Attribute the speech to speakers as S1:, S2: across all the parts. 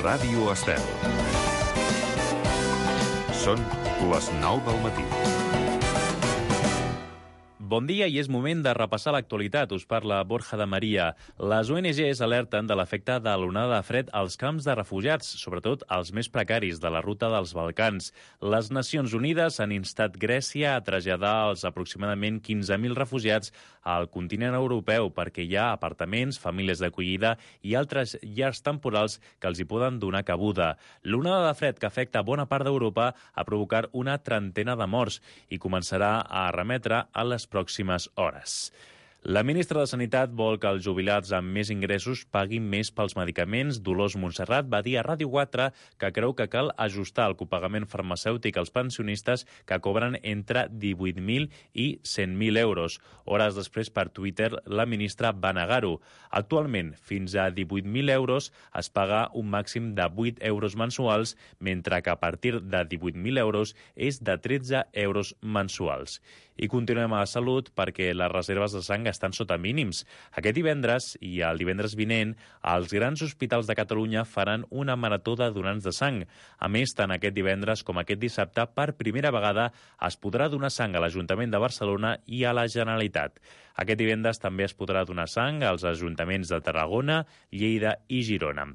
S1: Ràdio Estel. Són les 9 del matí.
S2: Bon dia i és moment de repassar l'actualitat. Us parla Borja de Maria. Les ONGs alerten de l'efecte de l'onada de fred als camps de refugiats, sobretot als més precaris de la ruta dels Balcans. Les Nacions Unides han instat Grècia a traslladar els aproximadament 15.000 refugiats al continent europeu perquè hi ha apartaments, famílies d'acollida i altres llars temporals que els hi poden donar cabuda. L'onada de fred que afecta bona part d'Europa ha provocat una trentena de morts i començarà a remetre a les pròximes hores. La ministra de Sanitat vol que els jubilats amb més ingressos paguin més pels medicaments. Dolors Montserrat va dir a Ràdio 4 que creu que cal ajustar el copagament farmacèutic als pensionistes que cobren entre 18.000 i 100.000 euros. Hores després, per Twitter, la ministra va negar-ho. Actualment, fins a 18.000 euros es paga un màxim de 8 euros mensuals, mentre que a partir de 18.000 euros és de 13 euros mensuals. I continuem a la salut perquè les reserves de sang estan sota mínims. Aquest divendres i el divendres vinent, els grans hospitals de Catalunya faran una marató de donants de sang. A més, tant aquest divendres com aquest dissabte, per primera vegada es podrà donar sang a l'Ajuntament de Barcelona i a la Generalitat. Aquest divendres també es podrà donar sang als ajuntaments de Tarragona, Lleida i Girona.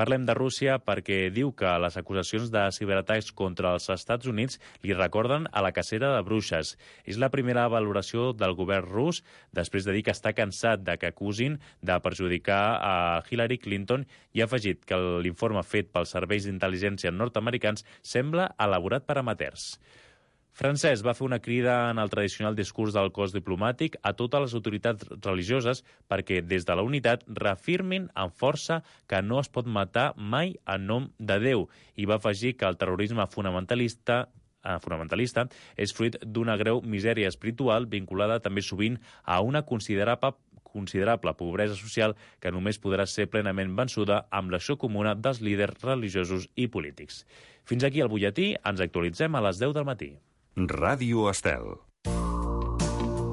S2: Parlem de Rússia perquè diu que les acusacions de ciberatacs contra els Estats Units li recorden a la cacera de bruixes. És la primera valoració del govern rus després de dir que està cansat de que acusin de perjudicar a Hillary Clinton i ha afegit que l'informe fet pels serveis d'intel·ligència nord-americans sembla elaborat per amateurs. Francesc va fer una crida en el tradicional discurs del cos diplomàtic a totes les autoritats religioses perquè des de la unitat reafirmin amb força que no es pot matar mai en nom de Déu i va afegir que el terrorisme fonamentalista és fruit d'una greu misèria espiritual vinculada també sovint a una considerable pobresa social que només podrà ser plenament vençuda amb l'acció comuna dels líders religiosos i polítics. Fins aquí el butlletí, ens actualitzem a les 10 del matí.
S1: Ràdio Estel.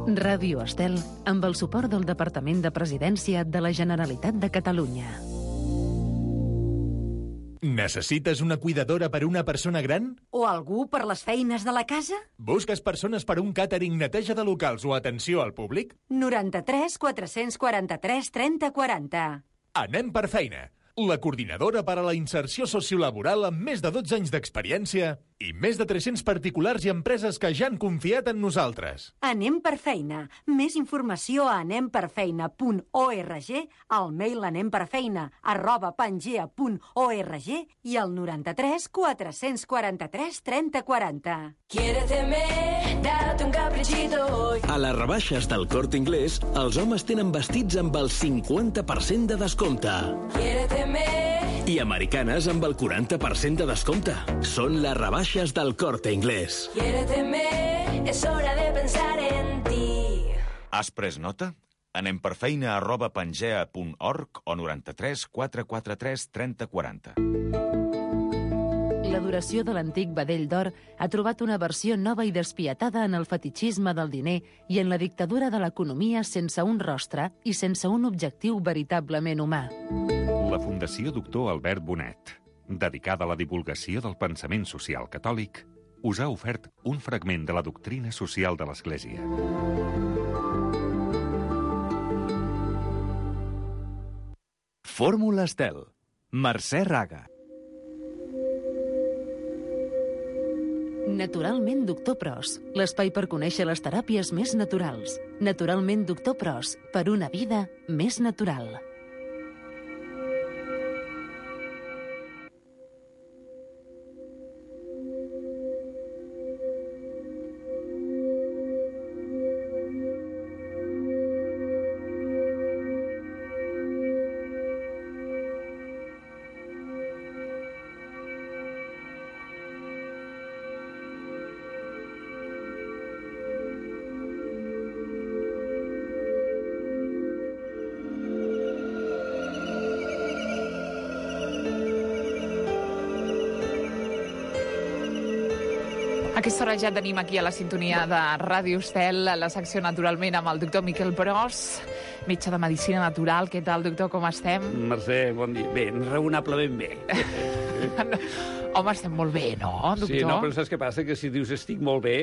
S3: Ràdio Estel, amb el suport del Departament de Presidència de la Generalitat de Catalunya.
S4: Necessites una cuidadora per a una persona gran?
S5: O algú per les feines de la casa?
S4: Busques persones per a un càtering, neteja de locals o atenció al públic?
S5: 93 443 30 40.
S4: Anem per feina. La coordinadora per a la inserció sociolaboral amb més de 12 anys d'experiència i més de 300 particulars i empreses que ja han confiat en nosaltres.
S5: Anem per feina. Més informació a anemperfeina.org, al mail anemperfeina@pangea.org i al 93 443 30 40.
S6: Quiéreteme, date un caprichito hoy.
S7: A les rebaixes del Corte Inglés, els homes tenen vestits amb el 50% de descompte.
S6: Quiéreteme.
S7: I americanes amb el 40% de descompte. Són les rebaixes del Corte Inglés.
S6: Quiéreteme, es hora de pensar en ti.
S8: Has pres nota? Anem per feina@pangea.org o 93 443 30 40.
S3: L'adoració de l'antic vedell d'or ha trobat una versió nova i despietada en el fetitxisme del diner i en la dictadura de l'economia sense un rostre i sense un objectiu veritablement humà.
S1: La Fundació Doctor Albert Bonet, dedicada a la divulgació del pensament social catòlic, us ha ofert un fragment de la doctrina social de l'Església.
S9: Fórmula Estel. Mercè Raga.
S3: Naturalment Doctor Pros, l'espai per conèixer les teràpies més naturals. Naturalment Doctor Pros, per una vida més natural.
S10: aquesta hora ja tenim aquí a la sintonia de Ràdio Estel la secció Naturalment amb el doctor Miquel Pros, metge de Medicina Natural. Què tal, doctor, com estem?
S11: Mercè, bon dia. Bé, raonablement bé.
S10: Home, estem molt bé, no, doctor?
S11: Sí, no, però saps què passa? Que si dius estic molt bé,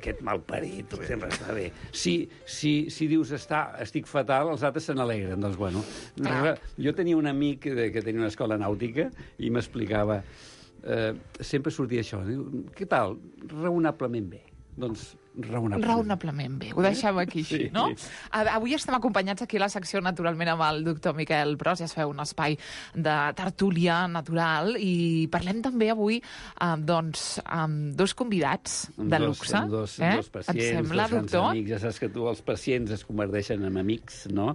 S11: aquest malparit, sempre està bé. Si dius estic fatal, els altres se n'alegren. Doncs, bueno, jo tenia un amic que tenia una escola nàutica i m'explicava, sempre sortia això, diu, què tal? Raonablement bé. Doncs
S10: raonablement bé. Ho deixem aquí així, no? Avui estem acompanyats aquí a la secció Naturalment amb el doctor Miquel Pros. Ja es feu un espai de tertúlia natural i parlem també avui amb dos convidats de luxe.
S11: Dos pacients,
S10: et sembla,
S11: dos grans
S10: doctor?
S11: amics. Ja saps que els pacients es converteixen en amics, no?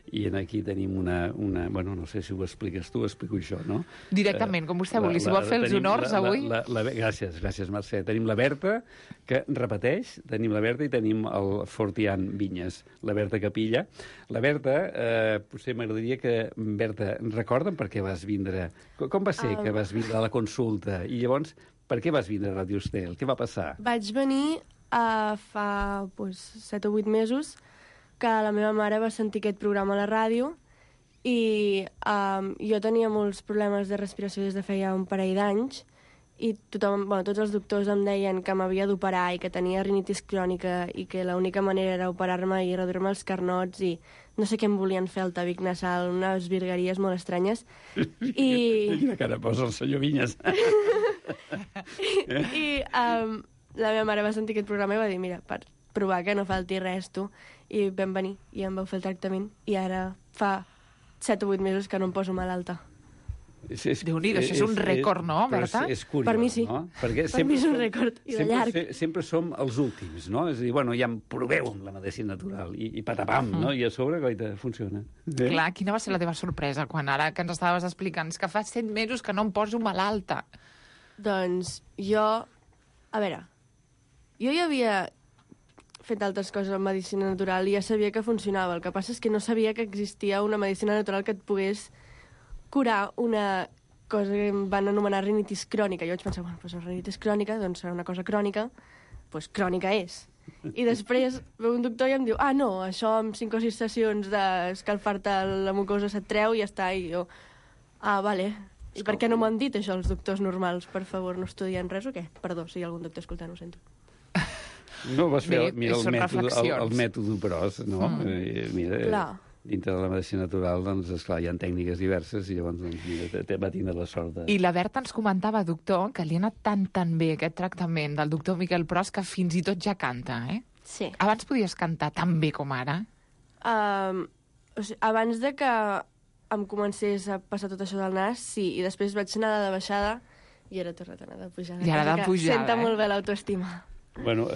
S11: I aquí tenim una... Bueno, no sé si ho expliques tu, explico jo, no?
S10: Directament, com vostè vulgui. Si vol fer els honors avui...
S11: Gràcies, Mercè. Tenim la Berta, que repeteix, tenim la Berta i tenim el Fortian Vinyes, la Berta Capilla. La Berta, potser m'agradaria que... Berta, recorda'm per què vas vindre... Com va ser que vas vindre a la consulta? I llavors, per què vas vindre a Ràdio Estel? Què va passar?
S12: Vaig venir fa 7 o 8 mesos, que la meva mare va sentir aquest programa a la ràdio i jo tenia molts problemes de respiració des de feia un parell d'anys i tots els doctors em deien que m'havia d'operar i que tenia rinitis crònica i que l'única manera era operar-me i reduir-me els carnots i no sé què em volien fer al tabic nasal, unes virgueries molt estranyes.
S11: Quina cara posa el senyor Vinyes.
S12: I la meva mare va sentir aquest programa i va dir, mira, per provar que no falti res, tu. I vam venir i em vau fer el tractament i ara fa 7 o 8 mesos que no em poso malalta.
S10: Déu-n'hi-do, això és un rècord, no, Berta?
S11: És curiós,
S12: per mi sí.
S11: No?
S12: Per mi és un rècord, i de llarg.
S11: Sempre som els últims, no? És a dir, bueno, ja em proveu amb la medicina natural i patapam, no? I a sobre, coita, funciona.
S10: Clar, quina va ser la teva sorpresa quan ara que ens estaves explicant que fa 7 mesos que no em poso malalta?
S12: Doncs jo... A veure, jo ja havia fet altres coses en medicina natural i ja sabia que funcionava. El que passa és que no sabia que existia una medicina natural que et pogués curar una cosa que em van anomenar rinitis crònica. Jo vaig pensar, bueno, doncs la rinitis crònica, doncs serà una cosa crònica, doncs crònica és. I després veu un doctor i em diu, no, això amb 5 o 6 sessions d'escalfar-te la mucosa se't treu i ja està. I jo, vale. I per què no m'ho han dit això els doctors normals? Per favor, no estudien res o què? Perdó, si hi ha algun doctor escoltant, ho sento.
S11: No vas fer, mira, el mètode Pros, no? Mira, dintre de la medicina natural, doncs, esclar, hi ha tècniques diverses i llavors, doncs, mira, va tindre la sort de...
S10: I la Berta ens comentava, doctor, que li ha anat tan bé aquest tractament del doctor Miquel Pros que fins i tot ja canta, eh?
S12: Sí.
S10: Abans podies cantar tan bé com ara?
S12: Abans de que em comencés a passar tot això del nas, sí, i després vaig anar de baixada i ara he tornat a anar de pujada.
S10: I ara de pujada,
S12: Senta molt bé l'autoestima.
S11: Bueno,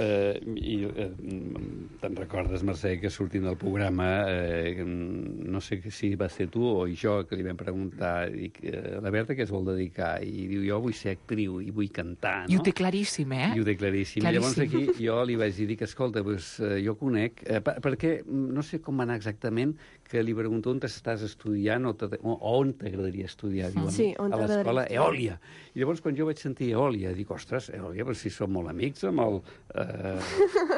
S11: te'n recordes, Mercè, que sortint del programa, no sé si va ser tu o jo que li vam preguntar a la Berta què es vol dedicar, i diu, jo vull ser actriu i vull cantar, no?
S10: I ho té claríssim, eh?
S11: I ho té claríssim. I llavors aquí jo li vaig dir que, escolta, jo conec, perquè no sé com va anar exactament, que li pregunto on estàs estudiant o on t'agradaria estudiar, diuen, a l'escola Eòlia. I llavors, quan jo vaig sentir Eòlia, dic, ostres, Eòlia, però si som molt amics amb el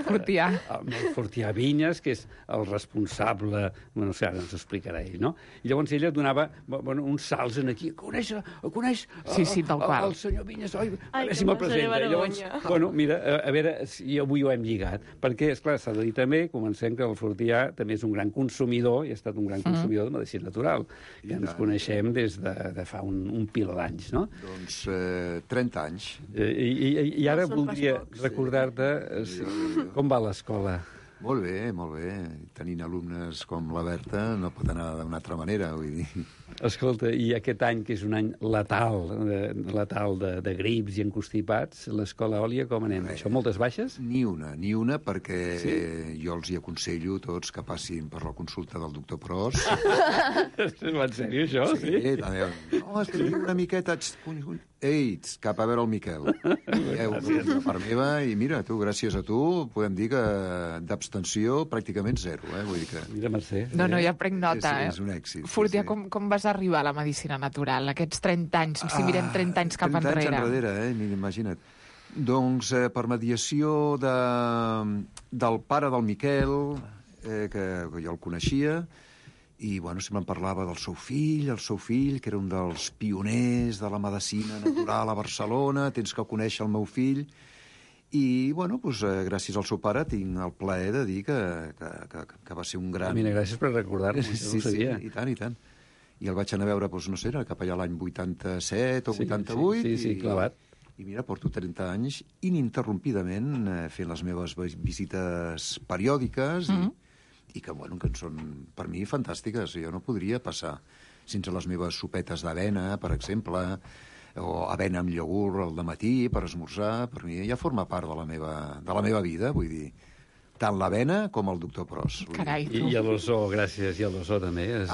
S10: Fortià.
S11: Amb el Fortià Vinyes, que és el responsable, no sé, ara ens ho explicarà ell, no? I llavors ella donava uns salts en aquí, coneix el senyor Vinyes, a veure si me'l presenta. Llavors, bueno, mira, a veure si avui ho hem lligat, perquè, esclar, s'ha de dir també, comencem que el Fortià també és un gran consumidor, i ha estat un gran consumidor de medicina natural, que ens coneixem des de fa un pil d'anys, no?
S13: Doncs 30 anys.
S11: I ara voldria recordar-te com va l'escola.
S13: Molt bé. Tenint alumnes com la Berta no pot anar d'una altra manera, vull dir.
S11: Escolta, i aquest any, que és un any letal de grips i encostipats, l'escola Eòlia, com anem? Això, moltes baixes?
S13: Ni una, perquè jo els hi aconsello tots que passin per la consulta del doctor Pros.
S11: Va en sèrio, això?
S13: Sí, també. No, és que una miqueta... Ei, cap a veure el Miquel. De part meva, i mira, tu, gràcies a tu, podem dir que d'abstenció pràcticament zero, vull dir que...
S11: Mira, Mercè.
S10: No, ja prenc nota,
S13: És un èxit.
S10: Fortià, com vas arribar a la medicina natural, aquests 30 anys, si mirem 30 anys cap enrere?
S13: 30 anys enrere, imagina't. Doncs per mediació del pare del Miquel, que jo el coneixia, i sempre em parlava del seu fill, que era un dels pioners de la medicina natural a Barcelona, tens que conèixer el meu fill, i, gràcies al seu pare tinc el plaer de dir que va ser un gran...
S11: Mira, gràcies per recordar-me, no ho sabia.
S13: Sí, i tant. I el vaig anar a veure, no sé, era cap allà l'any 87 o 88.
S11: Sí, clavat.
S13: I mira, porto 30 anys ininterrompidament fent les meves visites periòdiques i que són per mi fantàstiques. Jo no podria passar sense les meves sopetes d'avena, per exemple, o avena amb iogurt al dematí per esmorzar. Per mi ja forma part de la meva vida, vull dir, tant l'avena com el doctor Pros.
S10: Carai, tu.
S11: I l'ozó, gràcies, i l'ozó també.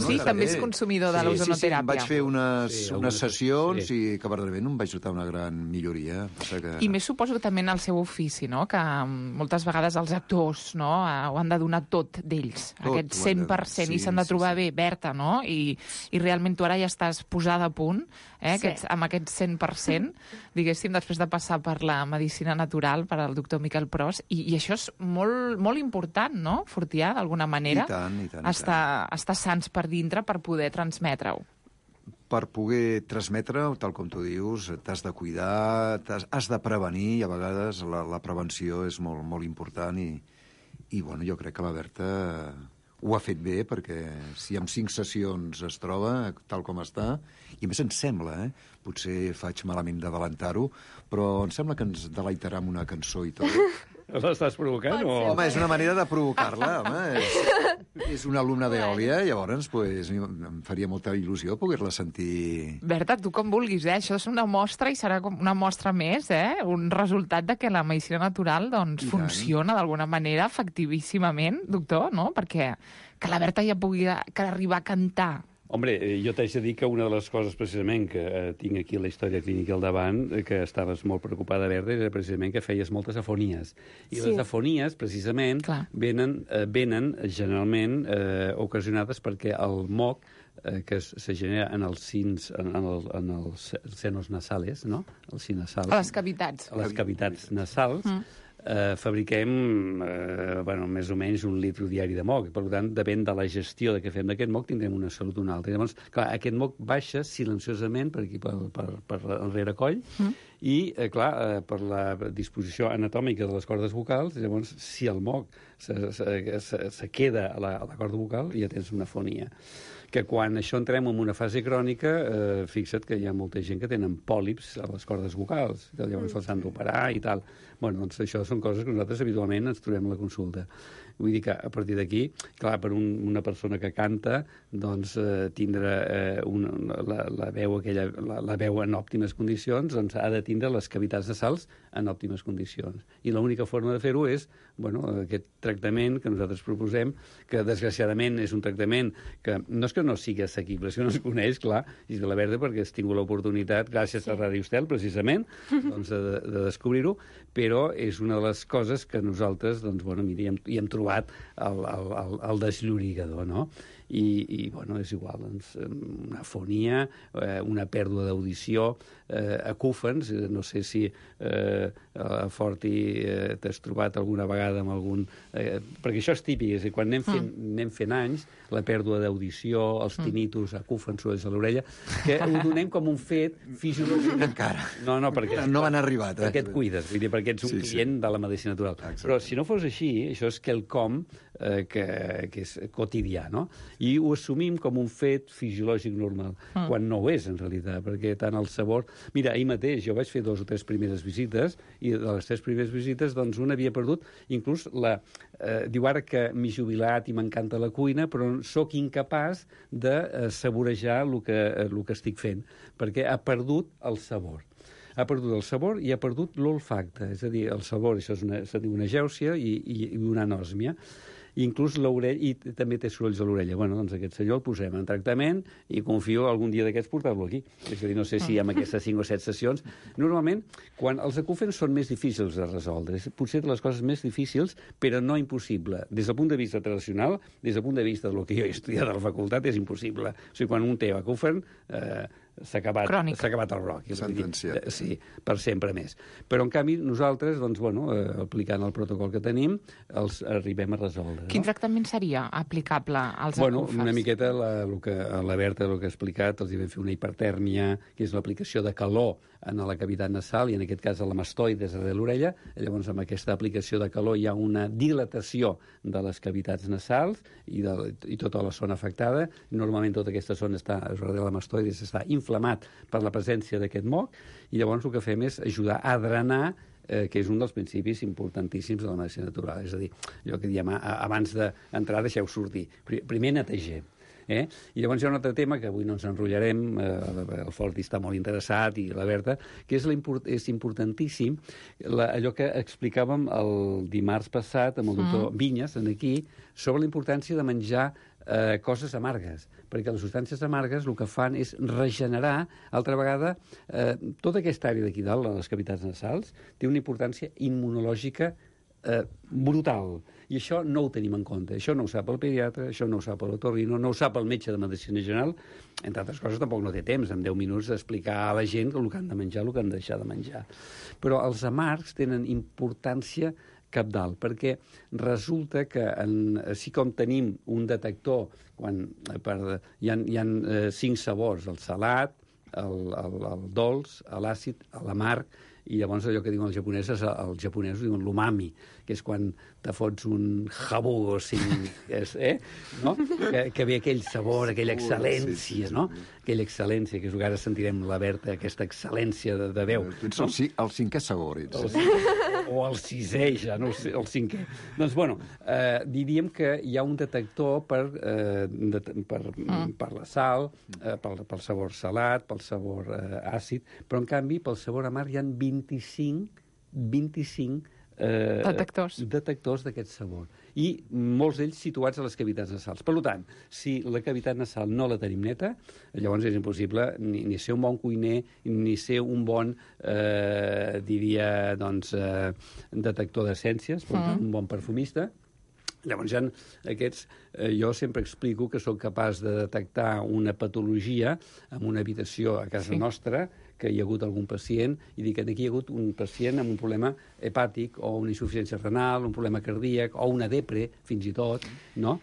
S10: Sí, també és consumidor de l'ozonoteràpia.
S13: Sí, vaig fer unes sessions i que verdaderament em vaig notar una gran milloria.
S10: I més suposo també en el seu ofici, no?, que moltes vegades els actors, no?, ho han de donar tot d'ells, aquest 100%, i s'han de trobar bé, Berta, no?, i realment tu ara ja estàs posada a punt, amb aquest 100%, diguéssim, després de passar per la medicina natural, per al doctor Miquel Pros, i això és molt, molt important, no?, Fortià, d'alguna manera.
S13: I tant.
S10: Estar sants per dintre per poder transmetre-ho.
S13: Per poder transmetre-ho, tal com tu dius, t'has de cuidar, has de prevenir, i a vegades la prevenció és molt, molt important, i jo crec que la Berta ho ha fet bé, perquè si en 5 sessions es troba tal com està, i a més em sembla, potser faig malament d'adelantar-ho, però em sembla que ens deleitarà amb una cançó i tot.
S11: L'estàs provocant?
S13: Home, és una manera de provocar-la, home. És una alumna d'Eòlia, llavors em faria molta il·lusió poder-la sentir...
S10: Berta, tu com vulguis, Això és una mostra i serà com una mostra més, Un resultat de que la medicina natural funciona d'alguna manera efectivíssimament, doctor, no? Perquè que la Berta ja pugui arribar a cantar.
S11: Hombre, jo t'haig de dir que una de les coses precisament que tinc aquí la història clínica al davant, que estaves molt preocupada, Berta, era precisament que feies moltes afonies. I les afonies, precisament, venen generalment ocasionades perquè el moc que se genera en els senos nasales, no? Els sinasals.
S10: A les cavitats.
S11: A les cavitats nasals. Fabriquem més o menys 1 litre diari de moc. Per tant, depèn de la gestió que fem d'aquest moc, tindrem una salut o una altra. Llavors, clar, aquest moc baixa silenciosament per aquí, per el rerecoll, i, per la disposició anatòmica de les cordes vocals, llavors, si el moc se queda a la corda vocal, ja tens una afonia. Que quan això entrem en una fase crònica, fixa't que hi ha molta gent que tenen pòlips a les cordes vocals, llavors els han d'operar i tal. Doncs això són coses que nosaltres habitualment ens trobem a la consulta. Vull dir que a partir d'aquí, clar, per una persona que canta, doncs tindre la veu en òptimes condicions, doncs ha de tindre les cavitats nasals en òptimes condicions. I l'única forma de fer-ho és, aquest tractament que nosaltres proposem, que desgraciadament és un tractament que no és que no sigui assequible, és que no es coneix, clar, i la Berta perquè has tingut l'oportunitat, gràcies a Ràdio Estel, precisament, doncs, de descobrir-ho, però és una de les coses que nosaltres, doncs, hi hem trobat el desllorigador, no? I és igual, doncs, una afonia, una pèrdua d'audició, acúfens, no sé si a Forti t'has trobat alguna vegada amb algun... perquè això és típic, és a dir, quan anem fent anys, la pèrdua d'audició, els tinnitus, acúfens, sorolls a l'orella, que ho donem com un fet fisiològic.
S13: Encara.
S11: No, perquè...
S13: No m'han arribat.
S11: Perquè et cuides, vull dir, perquè ets un client de la medicina natural. Exacte. Però si no fos així, això és quelcom que és quotidià, no? I ho assumim com un fet fisiològic normal, quan no ho és, en realitat, perquè tant el sabor... Mira, ahir mateix jo vaig fer 2 o 3 primeres visites, i de les 3 primeres visites, doncs, una havia perdut, inclús diu ara que m'he jubilat i m'encanta la cuina, però sóc incapaç de saborejar el que estic fent, perquè ha perdut el sabor. Ha perdut el sabor i ha perdut l'olfacte, és a dir, el sabor, això se diu una gèusia i una anòsmia. Inclús l'orella, i també té sorolls a l'orella. Doncs aquest senyor el posem en tractament i confio algun dia d'aquests portar-lo aquí. És a dir, no sé si amb aquestes 5 o 7 sessions... Normalment, quan els acúfens són més difícils de resoldre, potser de les coses més difícils, però no impossible. Des del punt de vista tradicional, des del punt de vista del que jo he estudiat a la facultat, és impossible. O sigui, quan un té acúfen, s'ha acabat el rock.
S13: Sentenciat.
S11: Sí, per sempre més. Però, en canvi, nosaltres, doncs, bueno, aplicant el protocol que tenim, els arribem a resoldre. No?
S10: Quin tractament seria aplicable als acúfens?
S11: Una miqueta la Berta, el que ha explicat, els hi vam fer una hipertèrmia, que és l'aplicació de calor en la cavitat nasal, i en aquest cas a la mastoides de l'orella. Llavors, amb aquesta aplicació de calor hi ha una dilatació de les cavitats nasals i tota la zona afectada. Normalment tota aquesta zona de la mastoides està inflamat per la presència d'aquest moc, i llavors el que fem és ajudar a drenar, que és un dels principis importantíssims de la medicina natural. És a dir, allò que diem, abans d'entrar deixeu sortir. Primer netegem. I llavors hi ha un altre tema que avui no ens enrotllarem, el Forti està molt interessat i la Berta, que és importantíssim allò que explicàvem el dimarts passat amb el doctor Vinyes aquí, sobre la importància de menjar coses amargues, perquè les substàncies amargues el que fan és regenerar, altra vegada, tota aquesta àrea d'aquí dalt, les cavitats nasals, té una importància immunològica brutal. I això no ho tenim en compte. Això no ho sap el pediatre, això no ho sap l'otorrino, no ho sap el metge de medicina general. Entre altres coses, tampoc no té temps, en 10 minuts, d'explicar a la gent el que han de menjar, el que han de deixar de menjar. Però els amargs tenen importància cabdal, perquè resulta que així com tenim un detector, hi ha 5 sabors, el salat, el dolç, l'àcid, l'amarg, i llavors allò que diuen els japonesos diuen l'umami, que és quan te fots un jabugo, no? Que ve aquell sabor, aquella excel·lència, no? Aquella excel·lència, que és el que ara sentirem la Berta, aquesta excel·lència de veu.
S13: Tu ets el 5è sabor, ets.
S11: O el 6è, ja, no sé, el 5è. Doncs, bueno, diríem que hi ha un detector per la sal, pel sabor salat, pel sabor àcid, però, en canvi, pel sabor amarg hi ha 25 detectors d'aquest sabor, i molts d'ells situats a les cavitats nasals. Per tant, si la cavitat nasal no la tenim neta, llavors és impossible ni ser un bon cuiner, ni ser un bon, detector d'essències, un bon perfumista. Llavors, aquests, jo sempre explico que soc capaç de detectar una patologia en una habitació a casa nostra, que hi ha hagut algun pacient, i dic que aquí hi ha hagut un pacient amb un problema hepàtic, o una insuficiència renal, un problema cardíac, o una depre, fins i tot, no?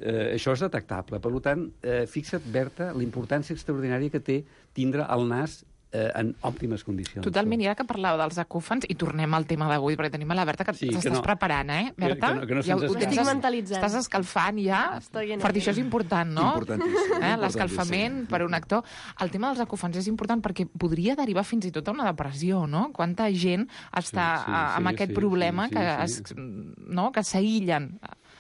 S11: Això és detectable. Per tant, fixa't, Berta, la importància extraordinària que té tindre el nas en òptimes condicions.
S10: Totalment, i ara que parlava dels acúfens, i tornem al tema d'avui, perquè tenim a la Berta que t'estàs preparant, Berta?
S12: Estic mentalitzant.
S10: Estàs escalfant ja, perquè això és important, no?
S13: Importantíssim.
S10: L'escalfament per un actor. El tema dels acúfens és important perquè podria derivar fins i tot a una depressió, no? Quanta gent està amb aquest problema que s'aïllen.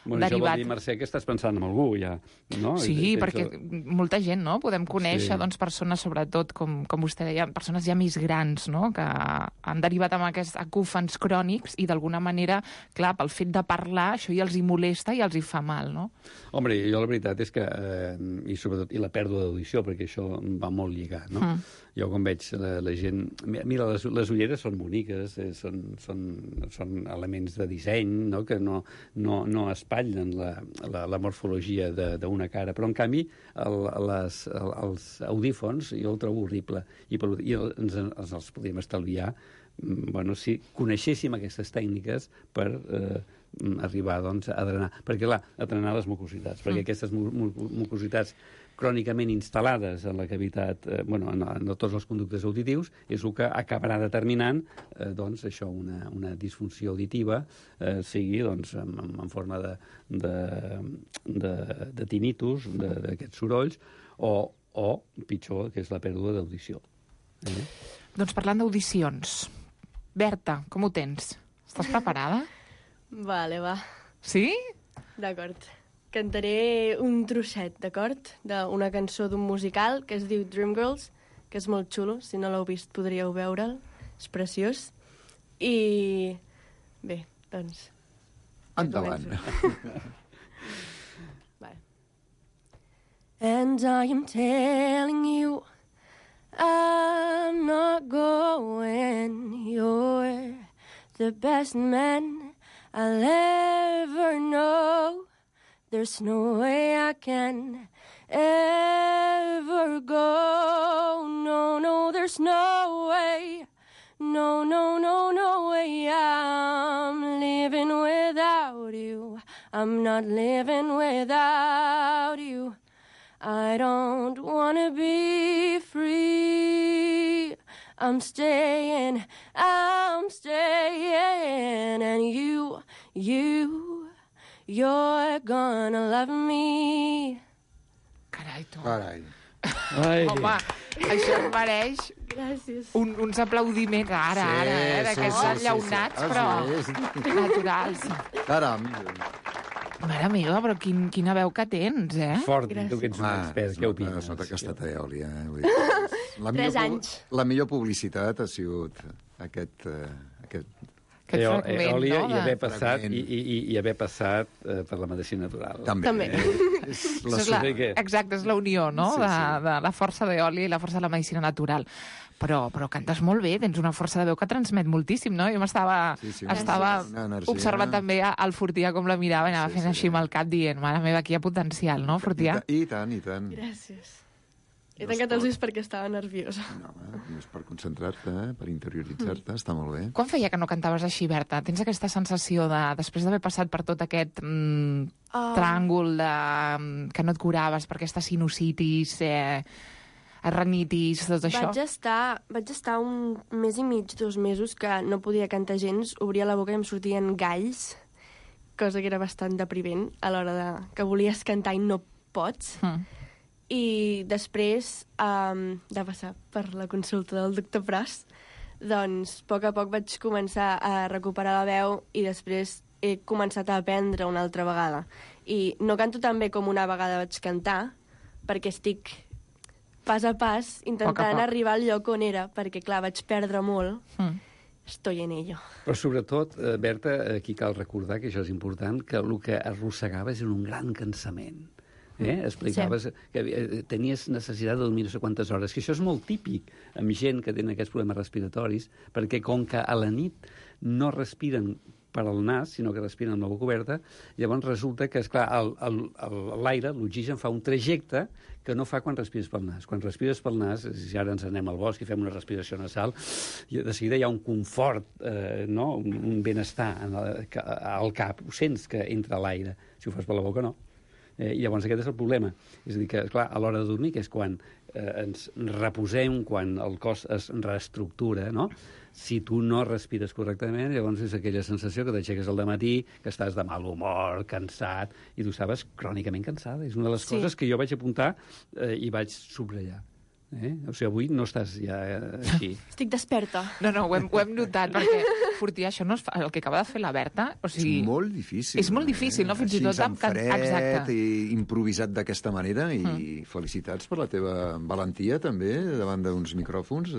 S11: Això vol dir, Mercè, que estàs pensant en algú, ja, no?
S10: Sí, perquè molta gent, no? Podem conèixer persones, sobretot, com vostè deia, persones ja més grans, no? Que han derivat amb aquests acúfens crònics i, d'alguna manera, clar, pel fet de parlar, això ja els hi molesta i els hi fa mal, no?
S11: Home, jo la veritat és que, i sobretot, i la pèrdua d'audició, perquè això va molt lligat, no? Jo, quan veig la gent... Mira, les ulleres són boniques, són elements de disseny, no? Que no espatllen la morfologia d'una cara, però, en canvi, els audífons jo el trobo horrible, i ens els podríem estalviar si coneixéssim aquestes tècniques per arribar a drenar. Perquè, clar, a drenar les mucositats, perquè aquestes mucositats crònicament instal·lades en la cavitat, en tots els conductes auditius, és el que acabarà determinant això, una disfunció auditiva, sigui en forma de tinnitus, d'aquests sorolls, o pitjor, que és la pèrdua d'audició.
S10: Doncs parlant d'audicions, Berta, com ho tens? Estàs preparada?
S12: Vale, va.
S10: Sí?
S12: D'acord. Cantaré un trosset, d'acord? D'una cançó d'un musical que es diu Dreamgirls, que és molt xulo. Si no l'heu vist, podríeu veure'l. És preciós. I... bé, doncs...
S13: endavant.
S12: Vale. And I am telling you I'm not going. You're the best man I'll ever know. There's no way I can ever go,
S6: there's no way. No, no, no, no way I'm living without you. I'm not living without you. I don't wanna be free. I'm staying, and you're gonna love me.
S10: Carai, tu.
S13: Carai.
S10: Home, això em mereix
S12: Gràcies.
S10: uns aplaudiments ara, d'aquests llaunats, però naturals.
S13: Caram.
S10: Mare meva, però quina veu que tens, eh?
S11: Fort, tu que ets un expert, què opines?
S13: Es nota que ha estat a Eòlia. Vull dir,
S12: 3 anys.
S13: La millor publicitat ha sigut aquest
S10: fragment,
S11: Eòlia,
S10: no?
S11: I haver passat per la medicina natural.
S13: També.
S10: Exacte, és la unió, no?
S13: Sí.
S10: De la força d'Eòlia i la força de la medicina natural. Però cantes molt bé, tens una força de veu que transmet moltíssim, no? Jo estava observant també al Fortià com la mirava i anava fent així amb el cap dient, mare meva, aquí hi ha potencial, no, Fortià?
S13: I tant.
S12: Gràcies. He tancat els ulls perquè estava nerviosa.
S13: No, és per concentrar-te, per interioritzar-te, està molt bé.
S10: Quan feia que no cantaves així, Berta? Tens aquesta sensació de, després d'haver passat per tot aquest tràngol que no et curaves per aquesta sinusitis, rinitis, tot això?
S12: Vaig estar un mes i mig, 2 mesos, que no podia cantar gens, obria la boca i em sortien galls, cosa que era bastant depriment a l'hora que volies cantar i no pots. I després de passar per la consulta del doctor Pras, doncs, a poc vaig començar a recuperar la veu i després he començat a aprendre una altra vegada. I no canto tan bé com una vegada vaig cantar, perquè estic pas a pas intentant arribar al lloc on era, perquè, clar, vaig perdre molt. Estoy en ello.
S11: Però sobretot, Berta, aquí cal recordar, que això és important, que el que arrossegaves era un gran cansament. Explicaves que tenies necessitat de dormir no sé quantes hores, que això és molt típic amb gent que tenen aquests problemes respiratoris, perquè com que a la nit no respiren per al nas, sinó que respiren amb la boca oberta, llavors resulta que, esclar, l'aire, l'oxigen, fa un trajecte que no fa quan respires pel nas. Quan respires pel nas, si ara ens anem al bosc i fem una respiració nasal, de seguida hi ha un confort, un benestar al cap. Ho sents que entra l'aire. Si ho fas per la boca, no. I llavors aquest és el problema. És a dir, que, clar, a l'hora de dormir, que és quan ens reposem, quan el cos es reestructura, no? Si tu no respires correctament, llavors és aquella sensació que t'aixeques al dematí, que estàs de mal humor, cansat, i tu estaves crònicament cansada. És una de les coses que jo vaig apuntar i vaig subratllar. O sigui, avui no estàs ja així.
S12: Estic desperta.
S10: No, ho hem notat, perquè, Fortià, això no és el que acaba de fer la Berta. O sigui,
S13: és molt difícil.
S10: És molt difícil, no? Fins i tot
S13: amb fred i improvisat d'aquesta manera, i felicitats per la teva valentia, també, davant d'uns micròfons.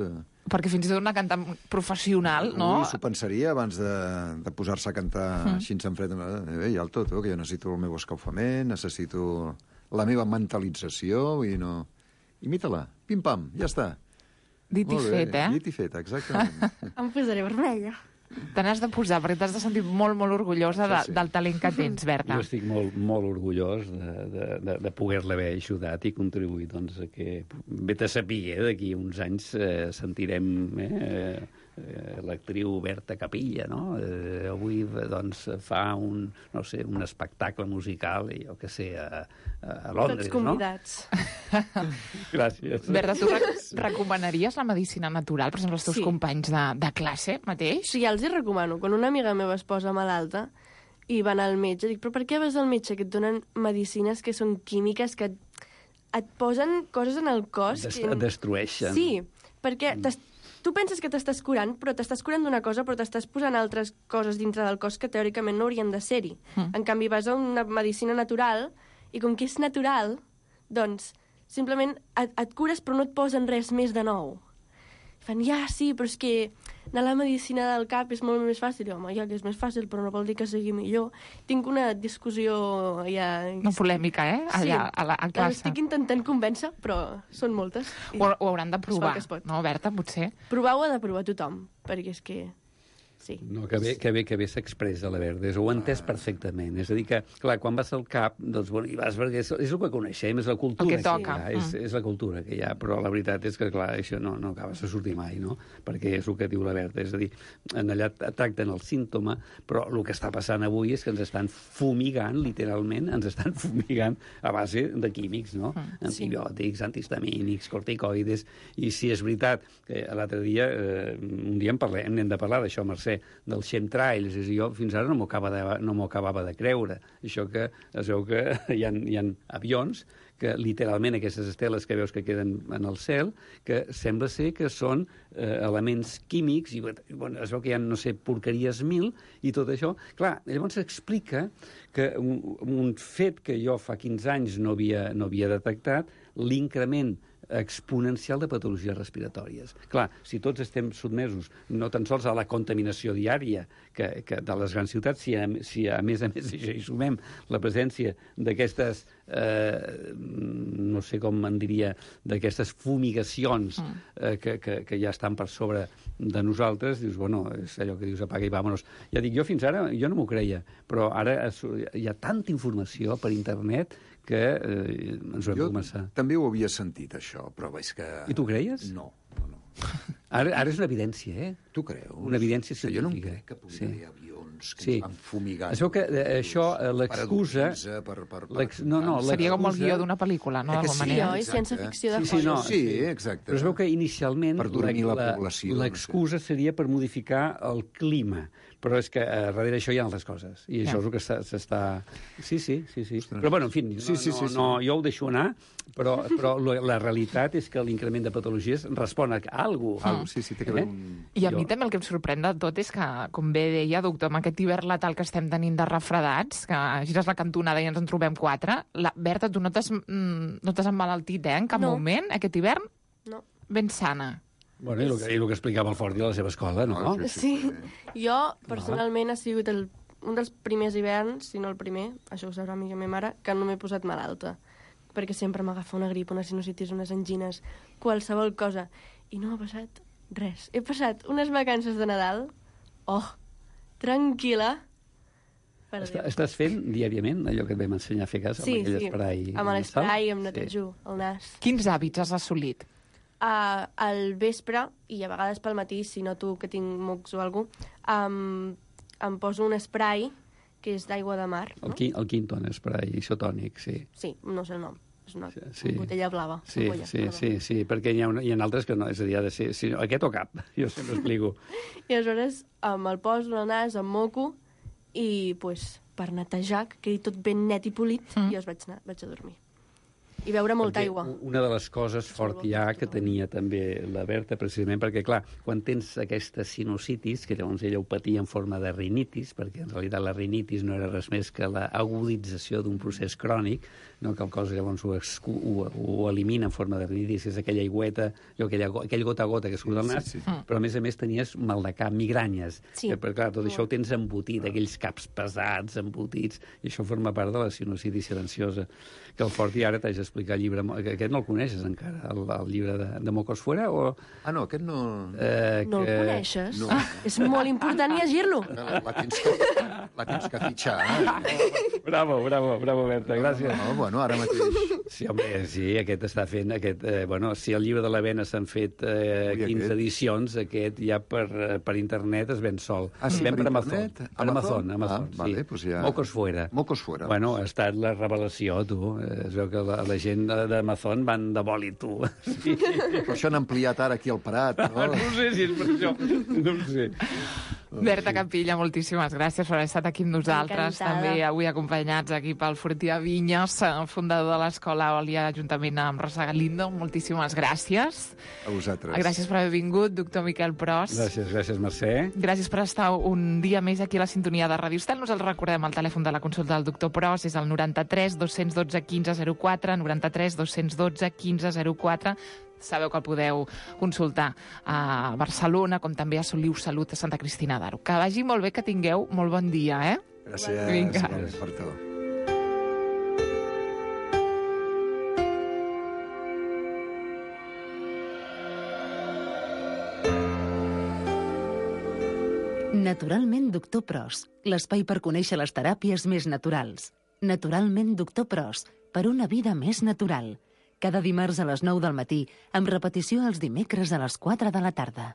S10: Perquè fins i tot una cantant professional, no?
S13: S'ho pensaria abans de posar-se a cantar així en fred. Ja el tot, que jo necessito el meu escalfament, necessito la meva mentalització, i no... Imita-la, pim-pam, ja està.
S10: Dit i fet,
S13: Dit i fet, exactament.
S12: Em posaré vermella.
S10: Te n'has de posar, perquè t'has de sentir molt, molt orgullosa del talent que tens, Berta.
S11: Jo estic molt, molt orgullós de poder-la haver ajudat i contribuït, doncs, a que vet a saber, d'aquí uns anys sentirem l'actriu Berta Capilla, no? Avui, doncs, fa un espectacle musical, i jo què sé, a Londres,
S12: tots convidats.
S11: No? Gràcies.
S10: Berta, tu recomanaries la medicina natural, per exemple, als teus companys de classe mateix?
S12: Sí, ja els hi recomano. Quan una amiga meva es posa malalta i van al metge, dic, però per què vas al metge? Que et donen medicines que són químiques, que et posen coses en el cos...
S11: Et destrueixen.
S12: Sí, perquè tu penses que t'estàs curant, però t'estàs curant d'una cosa, però t'estàs posant altres coses dintre del cos que teòricament no haurien de ser-hi. En canvi, vas a una medicina natural i com que és natural, doncs simplement et cures però no et posen res més de nou. Fan, sí, però és que anar a la medicina del cap és molt més fàcil. I, home, que és més fàcil, però no vol dir que sigui millor. Tinc una discussió ja...
S10: Una polèmica, allà, a classe.
S12: Estic intentant convèncer, però són moltes.
S10: Ho hauran de provar, no, Berta, potser?
S12: Provar ho ha de provar tothom, perquè és que... Sí.
S11: No, que bé s'expressa la Verdes, ho he entès perfectament. És a dir que, clar, quan vas al CAP, doncs, bueno, hi vas perquè és el que coneixem, és la cultura
S10: el que toca.
S11: Hi ha, és la cultura que hi ha, però la veritat és que, clar, això no acabes de sortir mai, no? Perquè és el que diu la Berta, és a dir, allà tracten el símptoma, però el que està passant avui és que ens estan fumigant, literalment, ens estan fumigant a base de químics, no? Antibiòtics, antihistamínics, corticoides, i si és veritat que l'altre dia, un dia hem de parlar d'això, Mercè, dels chemtrails, és a dir, jo fins ara no m'ho acabava de creure. Això que es veu que hi ha avions que literalment aquestes esteles que veus que queden en el cel, que sembla ser que són elements químics, i bueno, es veu que hi ha, no sé, porqueries 1000, i tot això. Clar, llavors s'explica que un fet que jo fa 15 anys no havia detectat, l'increment exponencial de patologies respiratòries. Clar, si tots estem sotmesos no tan sols a la contaminació diària que de les grans ciutats, si a més hi sumem la presència d'aquestes, no sé com en diria, d'aquestes fumigacions que ja estan per sobre de nosaltres, dius, bueno, és allò que dius, apaga i vámonos. Ja dic, jo fins ara, jo no m'ho creia, però ara hi ha tanta informació per internet que ens ho hem de començar.
S13: Jo també ho havia sentit, això, però és que...
S11: I tu creies?
S13: No.
S11: Ara és una evidència, eh?
S13: Tu creus?
S11: Una evidència científica.
S13: Jo no em crec que pugui haver avions que ens van fumigant.
S11: Es veu que això, l'excusa...
S10: Seria com el guió d'una pel·lícula, no?
S12: Sí, oi? Ciència-ficció de fons.
S13: Sí, exacte.
S11: Però es veu que inicialment
S13: l'excusa
S11: seria per modificar el clima. Però és que darrere això hi ha altres coses. I això és el que s'està... Sí. Però, bueno, en fi, jo ho deixo anar, però la realitat és que l'increment de patologies respon a alguna cosa.
S13: Sí, té que haver un...
S10: I a mi també el que em sorprèn de tot és que, com bé deia, doctor, amb aquest hivern letal que estem tenint de refredats, que gires la cantonada i ens en trobem 4, Berta, tu no t'has emmalaltit, en cap moment, aquest hivern?
S12: No.
S10: Ben sana.
S11: Bueno, i el que explicava el Forti a la seva escola, no?
S12: Sí. Jo, personalment, ha sigut un dels primers hiverns, si no el primer, això ho sabrà millor meva mare, que no m'he posat malalta. Perquè sempre m'agafa una grip, una sinusitis, unes angines, qualsevol cosa. I no m'ha passat res. He passat unes vacances de Nadal, tranquil·la.
S11: Estàs fent diàriament allò que et vam ensenyar a fer cas, amb aquell esprai?
S12: Sí, amb l'esprai, em netejo el nas.
S10: Quins hàbits has assolit?
S12: Al vespre, i a vegades pel matí, si noto que tinc mocs o alguna cosa, em poso un spray que és d'aigua de mar.
S11: No? El Quinton spray isotònic, sí.
S12: Sí, no sé el nom. És una botella blava.
S11: Sí, perquè hi ha altres que no, és a dir, ha de ser aquest o cap, jo sempre explico.
S12: I aleshores me'l poso al nas, em moco, i per netejar, que quedi tot ben net i polit, i jo vaig a dormir. I beure molta aigua.
S11: Una de les coses fort hi ha que tenia també la Berta, precisament perquè, clar, quan tens aquesta sinusitis, que llavors ella ho patia en forma de rinitis, perquè en realitat la rinitis no era res més que l'agudització d'un procés crònic, no? Que el cos llavors ho elimina en forma de rinitis, és aquella aigüeta, aquell gota a gota que surt del nas, però a més tenies mal de cap, migranyes, perquè clar, tot això ho tens embotit, aquells caps pesats, embotits, i això forma part de la sinusitis silenciosa, que el Forti ara t'haig d'explicar el llibre, aquest no el coneixes encara, el llibre de Mocos Fuera, o...
S13: no, aquest no...
S12: No el coneixes? No. És molt important llegir-lo.
S13: La tens que fitxar.
S11: Bravo, Berta, gràcies.
S13: No, bueno, ara mateix...
S11: Sí, home, sí, aquest està fent... si el llibre de la Vena s'han fet 15 edicions, aquest ja per internet es ven sol.
S13: Sí,
S11: per
S13: Amazon?
S11: Per Amazon,
S13: vale, pues ja...
S11: Mocos Fuera. Bueno, ha estat la revelació, tu. Es veu que la gent d'Amazon van de bòlit, tu.
S13: Sí. Per això han ampliat ara aquí el Prat, no?
S11: No sé si és per això. No ho sé.
S10: Berta Capilla, moltíssimes gràcies per haver estat aquí amb nosaltres.
S12: Encantada.
S10: També avui acompanyats aquí pel Fortià Vinyes, fundador de l'Escola Òlia, juntament amb Rosa Galindo. Moltíssimes gràcies.
S13: A vosaltres.
S10: Gràcies per haver vingut, doctor Miquel Pros.
S11: Gràcies, Mercè.
S10: Gràcies per estar un dia més aquí a la sintonia de Ràdio Estel. Nosaltres recordem el telèfon de la consulta del doctor Pros, és el 93 212 1504, 93 212 1504. Sabeu que el podeu consultar a Barcelona, com també a Soliu Salut a Santa Cristina d'Aro. Que vagi molt bé, que tingueu molt bon dia, eh?
S13: Gràcies.
S10: Vinga.
S13: Per tot.
S3: Naturalment Doctor Pros, l'espai per conèixer les teràpies més naturals. Naturalment Doctor Pros, per una vida més natural. Cada dimarts a les 9 del matí, amb repetició els dimecres a les 4 de la tarda.